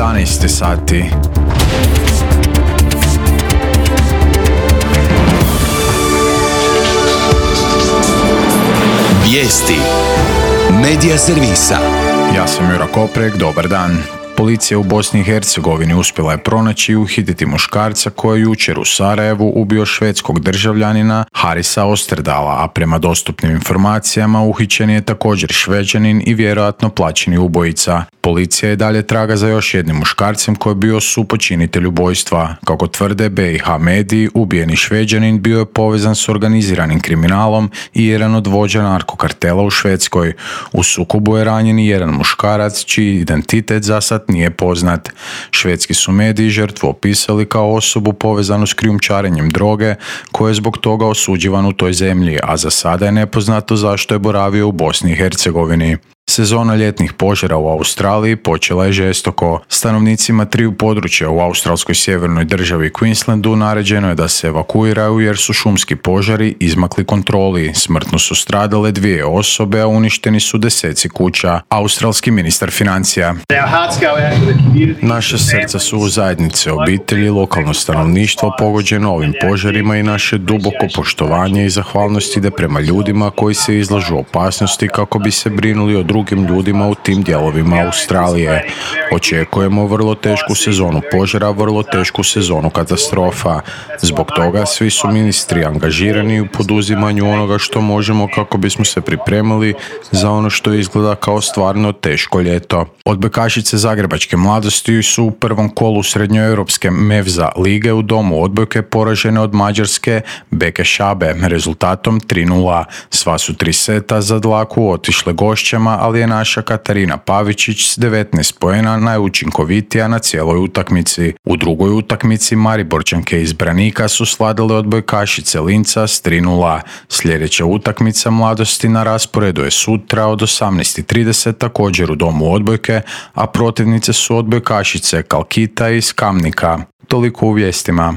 11 sati. Vijesti Medija servisa. Ja sam Jura Koprek, dobar dan. Policija u Bosni i Hercegovini uspjela je pronaći i uhititi muškarca koji je jučer u Sarajevu ubio švedskog državljanina Harisa Osterdala, a prema dostupnim informacijama uhićen je također Šveđanin i vjerojatno plaćeni ubojica. Policija je dalje traga za još jednim muškarcem koji je bio supočinitelj ubojstva. Kako tvrde BiH mediji, ubijeni Šveđanin bio je povezan s organiziranim kriminalom i jedan od vođa narkokartela u Švedskoj. U sukobu je ranjen i jedan muškarac čiji identitet za sad nije poznat. Švedski su mediji žrtvu opisali kao osobu povezanu s krijumčarenjem droge koji je zbog toga osuđivan u toj zemlji, a za sada je nepoznato zašto je boravio u Bosni i Hercegovini. Sezona ljetnih požara u Australiji počela je žestoko. Stanovnicima triju područja u australskoj sjevernoj državi Queenslandu naređeno je da se evakuiraju jer su šumski požari izmakli kontroli. Smrtno su stradale 2 osobe, a uništeni su deseci kuća. Australski ministar financija. Naša srca su u zajednice, obitelji, lokalno stanovništvo pogođeno ovim požarima i naše duboko poštovanje i zahvalnost ide prema ljudima koji se izlažu opasnosti kako bi se brinuli o drugim ljudima u tim dijelovima Australije. Očekujemo vrlo tešku sezonu požara, vrlo tešku sezonu katastrofa. Zbog toga svi su ministri angažirani u poduzimanju onoga što možemo kako bismo se pripremili za ono što izgleda kao stvarno teško ljeto. Odbojkašice zagrebačke mladosti su u prvom kolu srednjoeuropske Mevza lige u domu odbojke poražene od mađarske Beke Šabe rezultatom 3:0. Sva su 3 seta za dlaku otišle gošćama, ali je naša Katarina Pavičić s 19 poena najučinkovitija na cijeloj utakmici. U drugoj utakmici Mariborčanke iz Branika su sladale odbojkašice Linca s 3:0. Sljedeća utakmica mladosti na rasporedu je sutra od 18:30 također u domu odbojke, a protivnice su odbojkašice Kalkita iz Kamnika. Toliko u vijestima.